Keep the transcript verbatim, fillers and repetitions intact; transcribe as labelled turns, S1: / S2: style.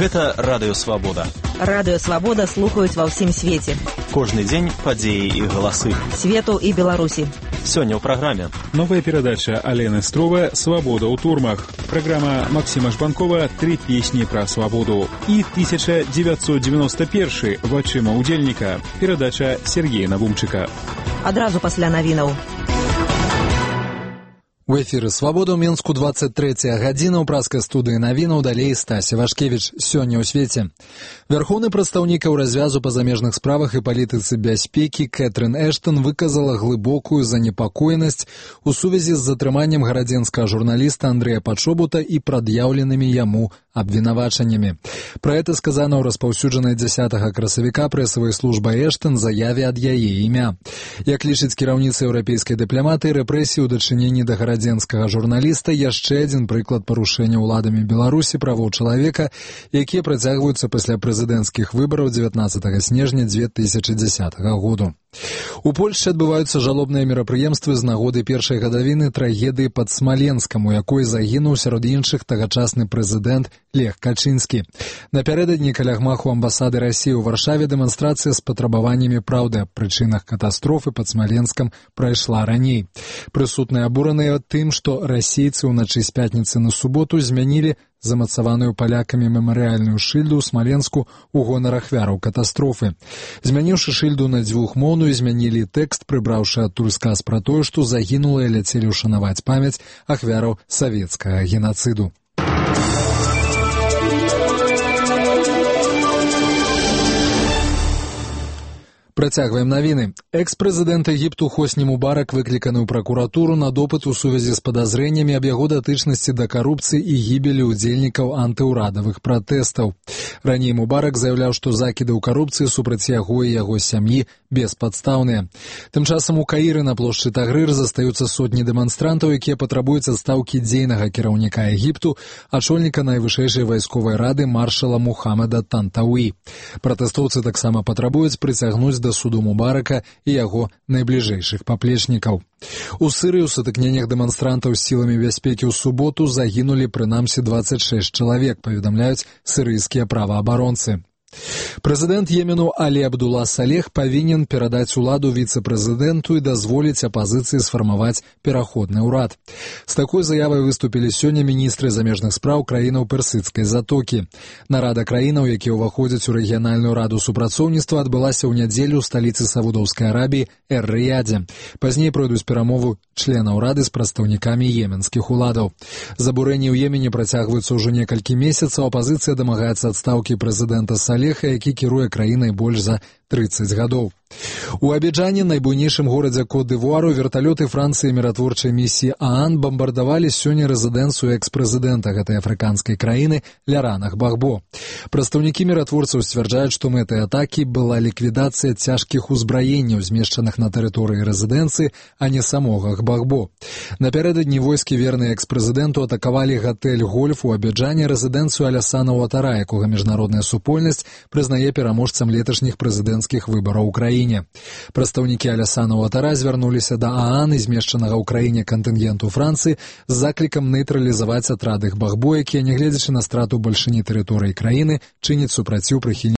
S1: Гэта Радыё Свабода.
S2: Радыё Свабода слухаюць ва ўсім свеце.
S1: Кожны дзень падзеі і галасы.
S2: Свету і Беларусі.
S1: Сёння ў праграме.
S3: Новая перадача Алены Строва «Свабода ў турмах». Праграма Максима Жбанкова «Три песні пра свабоду». І тысяча девятьсот девяносто первый «Вачыма ўдзельніка». Перадача Сергея Навумчыка.
S2: Адразу пасля навінаў.
S4: У эфіры «Свабода» ў Мінску двадцать третья гадзіна ў праскай студыі навінаў, далей Стася Вашкевіч. Сёння ў свеце. Вярхоўны прадстаўнік ў развязу па замежных справах і палітыцы бяспекі Кэтрын Эштон выказала глыбокую занепакоенасць у сувязі з затрыманнем гарадзенскага журналіста Андрэя Пачобута і прад'яўленымі яму абвінавачаннямі. Пра гэта сказана ў распаўсюджанай дзясятага красавіка прэсавай службай Эштон заяве ад яе імя. Як лічыць кіраўніца еўрапейскай дыпламатыі, рэпрэсіі ў дачыненні да гарадзенскага журналіста яшчэ адзін прыклад парушэння ўладамі Беларусі правоў чалавека, якія працягваюцца пасля прэзідэнцкіх выбараў дзевятнаццатага снежня две тысячы дзесятага году. У Польшчы адбываюцца жалобныя мерапрыемствы з нагоды першай гадавіны трагедыі пад Смаленскам, у якой загінуў сярод іншых тагачасны прэзідэнт Лех Качынскі. Напярэдадні каля гмаху амбасады Расіі ў Варшаве дэманстрацыя з патрабаваннямі праўды аб прычынах катастрофы пад Смаленскам прайшла раней. Прысутныя абураныя тым, што расейцы ўначы з пятніцы на суботу змянілі замацаваную палякамі мемарыяльную шыльду ў Смаленску ў гонар ахвяраў катастрофы. Змяніўшы шыльду на дзвюхмоўную, змянілі тэкст, прыбраўшы адтуль сказ пра тое, што загінулыя ляцелі ўшанаваць памяць ахвяраў савецкага генацыду. Працягваем навіны. Экс-прэзідэнт Егіпту Хосні Мубарак выкліканы ў пракуратуру на допыт у сувязі з падазрэннямі аб яго датычнасці да карупцыі і гібелі ўдзельнікаў антыўрадавых пратэстаў. Раней Мубарак заяўляў, што закіды ў карупцыі супраць яго і яго сям'і беспадстаўныя. Тым часам у Каіры на плошчы Тагрыр застаюцца сотні дэманстрантаў, якія патрабуюць адстаўкі дзейнага кіраўніка Егіпту, ачольніка найвышэйшай вайсковай рады маршала Мухаммада Тантауі. Пратэстоўцы таксама патрабуюць прыцягнуць да суду Мубарака і яго найбліжэйшых паплечнікаў. У Сырыі ў сутыкненнях дэманстрантаў з сіламі бяспекі ў суботу загінулі прынамсі двадцать шесть чалавек, паведамляюць сырыйскія праваабаронцы. Прэзідэнт Йемену Алі Абдула Салех павінен перадаць уладу віцэ-прэзідэнту і дазволіць апазіцыі сфармаваць пераходны ўрад. З такой заявай выступілі сёння міністры замежных спраў краінаў Персідскай затокі. Нарада краінаў, якія ўваходзяць у рэгіянальную раду супрацоўніцтва, адбылася ў нядзелю ў сталіцы Саудаўскай Арабіі Эр-Рыядзе. Пазней пройдуць перамовы членаў рады з прадстаўнікамі йеменскіх уладаў. Забурэнні ў Йемене працягваюцца ўжо некалькі месяцаў. Апазіцыя дамагаецца адстаўкі прэзідэнта Салеха, які кіруе краінай больш за тридцать гадоў. У Абіджане, найбуйнейшым горадзе Кот-д'Івуару, верталёты Францыі міратворчай місіі ААН бамбардавалі сёння рэзідэнцыю экс-прэзідэнта гэтай афрыканскай краіны Лярана Гбагбо. Прадстаўнікі міратворцаў сцвярджаюць, што мэтай атакі была ліквідацыя цяжкіх узбраенняў, змешчаных на тэрыторыі рэзідэнцыі, а не самога Гбагбо. Напярэдадні войскі, верныя экс-прэзідэнту, атакавалі гатэль «Гольф» у Абіджане, рэзідэнцыю Алясана Уатара, якога міжнародная супольнасць прызнае пераможцам леташніх прэзідэнцкіх выбараў у краіне. Прадстаўнікі Алясана Уатара звярнуліся да ААН і змешчанага ў краіне кантынгенту Францыі з заклікам нейтралізаваць атрады Гбагбо, якія, нягледзячы на страту бальшыні тэрыторыі краіны, чыняць супраціў прыхільнікам